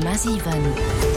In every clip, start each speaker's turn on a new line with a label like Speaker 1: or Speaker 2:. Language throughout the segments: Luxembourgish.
Speaker 1: 100,7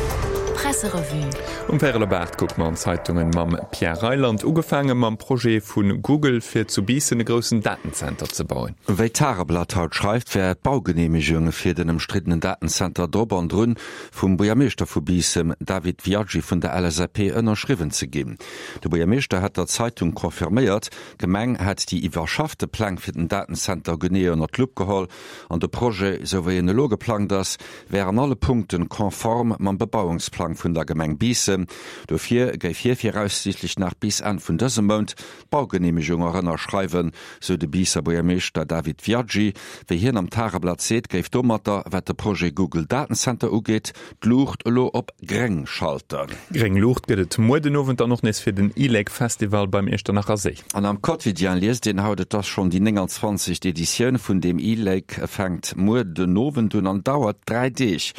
Speaker 1: Presserevue.
Speaker 2: Um Véierel op 8 kucke mer an d'Zeitungen mam Pierre Reyland. Ugefaange mam Projet vu Google fir zu Biissen e groussen Datenzenter ze bauen.
Speaker 3: Wéi d'Tageblatt haut schreift, wär d'Baugeneemegung fir den ëmstriddenen Datenzenter drop an drun, vum Buergermeeschter vu Biissen, David Viaggi vun der LSAP, ënnerschriwwen ze ginn. De Buergermeeschter hätt der Zeitung confirméiert, d'Gemeng hätt déi iwwerschaffte Pläng fir den Datenzenter genee ënner d'Lupp geholl an de Projet, esou wéi en elo geplangt ass, wär an alle Punkten konform mam Bebauungsplang vun der Gemeng Biissen. Dofir géif hie viraussiichtlech nach bis Enn vun dësem Mount d'Baugeneemegung och ënnerschreiwen, sou de Biisser Buergermeeschter David Viaggi. Wéi hien am Tageblatt seet, géif domatter, wat de Projet Google Datencenter ugeet, d'Luucht elo op gréng schalten.
Speaker 2: Gréng Luucht gëtt et muer den Owend dann och nees fir den e-Lake Festival beim Iechternacher Séi.
Speaker 3: An am Quotidien liest een haut, et ass schonn déi 29. Editioun vun deem e-Lake, e fänkt muer den Owend un an dauert 3 Deeg.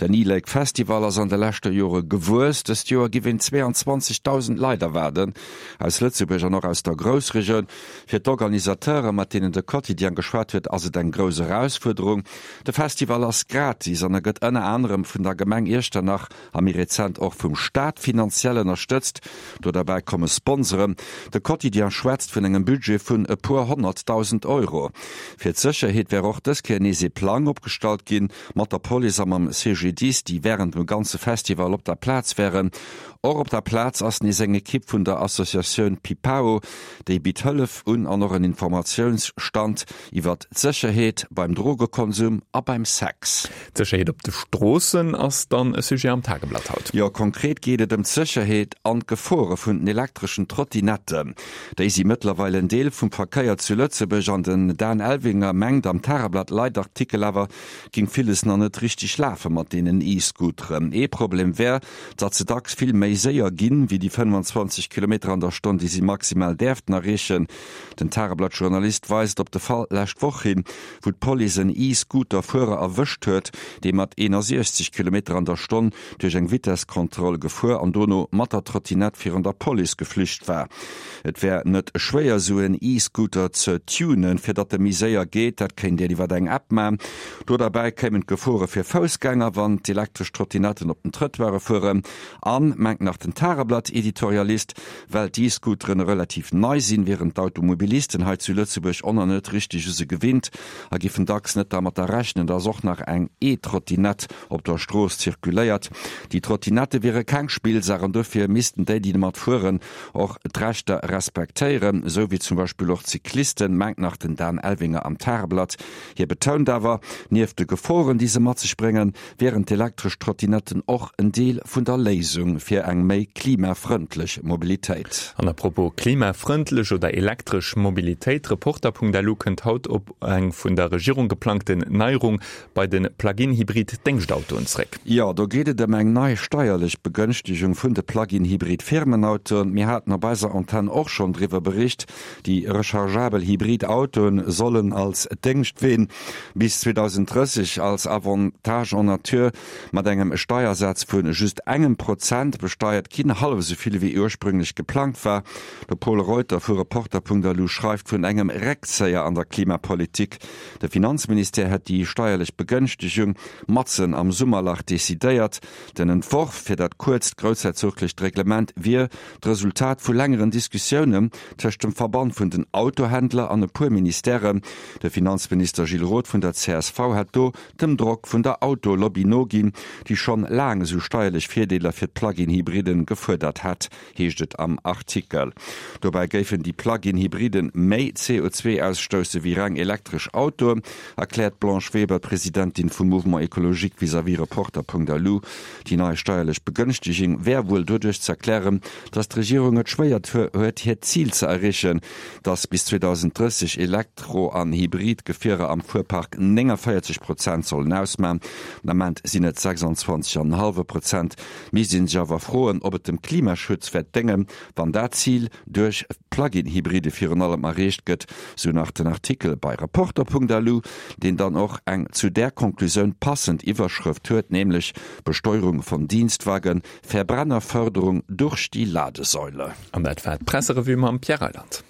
Speaker 3: Den e-Lake Festival ass an de leschte Jore gewuess, dëst Joer giff een 22.000 Leit erwaarden, aus Lëtzebuerg an och aus der Groussregioun. Fir d'Organisateure, mat deenen de Quotidien geschwat huet, ass et eng grouss Erausfuerderung. De Festival ass gratis an e gëtt ënner anerem vun der Gemeng Iechternach a méi rezent och vum Staat finanziell ënnerstëtzt. Do derbäi komme Sponsoren. De Quotidien schwätzt vun engem Budget vun e puer 100.000 Euro. Fir d'Sécherheet wär och dës Kéier nees ee Plang opgestallt ginn, mat der Police a mam CGDIS, déi wärend dem ganze Festival op der Plaz wären. Och op der Plaz ass nees eng Ekipp vun der Associatioun Pipao, déi bitt Hëllef un an och en Informatiounsstand iwwert d'Sécherheet beim Drogekonsum a beim Sex.
Speaker 2: D'Sécherheet op de Stroossen ass dann e Sujet am Tageblatt haut.
Speaker 3: Jo, konkret geet et ëm d'Sécherheet an d'Gefore vun den elektreschen Trottinetten. Déi si mëttlerweil en Deel vum Verkéier zu Lëtzebuerg an den Dan Elvinger mengt am Tageblatt-Leitartikel awer, ging villes nach net richteg lafe mat deenen E-Scooteren. Ee Problem wär, datt se dacks vill méi séier ginn, wéi déi 25 Kilometer an der Stonn, déi si maximal däerften erreechen. Den Tageblatt-Journalist weist op de Fall lescht Woch hin, wou d'Police en E-Scooter-Fuerer erwëscht huet, dee mat 61 Kilometer an der Stonn duerch eng Vitesskontroll gefuer an dono mat der Trottinett virun der Police geflücht war. Et wär net schwéier sou en E-Scooter ze tunen, fir datt e méi séier geet. Dat kéint een iwwer eng App man. Do derbäi kéimen d'Gefore fir Foussgänger, wann d'elektresch Trottinetten op den Trëttoire fueren. An, mengt nach den Tageblatt-Editorialist, well d'E-Scooteren relativ nei sinn, wieren d'Automobilisten hei zu Lëtzebuerg och nach net richteg u se gewinnt a giffen dacks net dermatter rechnen, datt och nach eng E-Trottinett op der Strooss zirkuléiert. Déi Trottinette wiere keng Spillsaach an dofir missten déi, déi domat fueren, och d'Rechter respektéieren, esou wéi zum Beispill och d'Cyclisten, mengt nach den Dan Elvinger am Tageblatt. Hie betount awer, nieft de Geforen, déi se mat sech bréngen, wieren d'elektresch Trottinetten och en Deel vun der Léisung fir eng méi klimafrëndlech Mobilitéit.
Speaker 2: An à propos klimafrëndlech oder elektresch Mobilitéit, Reporter.lu kënnt haut op eng vun der Regierung geplangten Neierung bei de Plug-in-Hybrid-Déngschtautoen zréck.
Speaker 3: Jo, do geet et ëm eng nei steierlech Begënschtegung vun de Plug-in-Hybrid-Firmenautoen. Mir haten op eiser Antenn och schonn driwwer bericht. Déi rechargeabel Hybrid-Autoen sollen als Déngschtween bis 2030 als Avantage en nature mat engem Steiersaz vu just engem Prozent besteiert ginn, hallef esou vill wéi ursprünglech geplangt war. De Pol Reuter vu Reporter.lu schreift vun engem Réckzéier an der Klimapolitik. De Finanzministère hätt déi steierlech Begënschtegung matzen am Summerlach decidéiert. Den Entworf fir dat kuerzt groussherzoglecht Reglement wier d'Resultat vu längeren Diskussiounen tëscht dem Verband vun den Autohändler an e puer Ministèren. De Finanzminister Gilles Roth vun der csv hätt do dem Drock vun der Autolobby noginn, déi schonn laang esou steierlech Virdeeler fir d'Plug-in-Hybriden gefuerdert hätt. heescht et am Artikel. Dobäi géifen déi Plug-in-Hybriden méi CO2 ausstousse wéi reng elektresch Autoen, erkläert d'Blanche Weber, d'Presidentin vum Mouvement Ecologique vis-à-vis Reporter.lu. Déi nei steierlech Begënschteging wär wuel doduerch z'erklären, datt d'Regierung et schwéier huet, hiert Zil ze erreechen, datt bis 2030 Elektro an Hybrid-Gefierer am Fuerpark 49 Prozent sollen ausman. Den Ament sinn et 26 an en hallwe Prozent. Misst een sech awer froen, ob et dem Klimaschutz wäert déngen, wann dat Zil duerch Plug-in-Hybride virun allem erreecht gëtt, sou nach den Artikel bei Reporter.lu, deen dann och eng zu där Konklusioun passend Iwwerschrëft huet, nämlech Besteuerung von Dienstwagen, Verbrennerförderung durch die Ladesäule.
Speaker 2: An dat war d'Presserevue mam Pierre Reyland.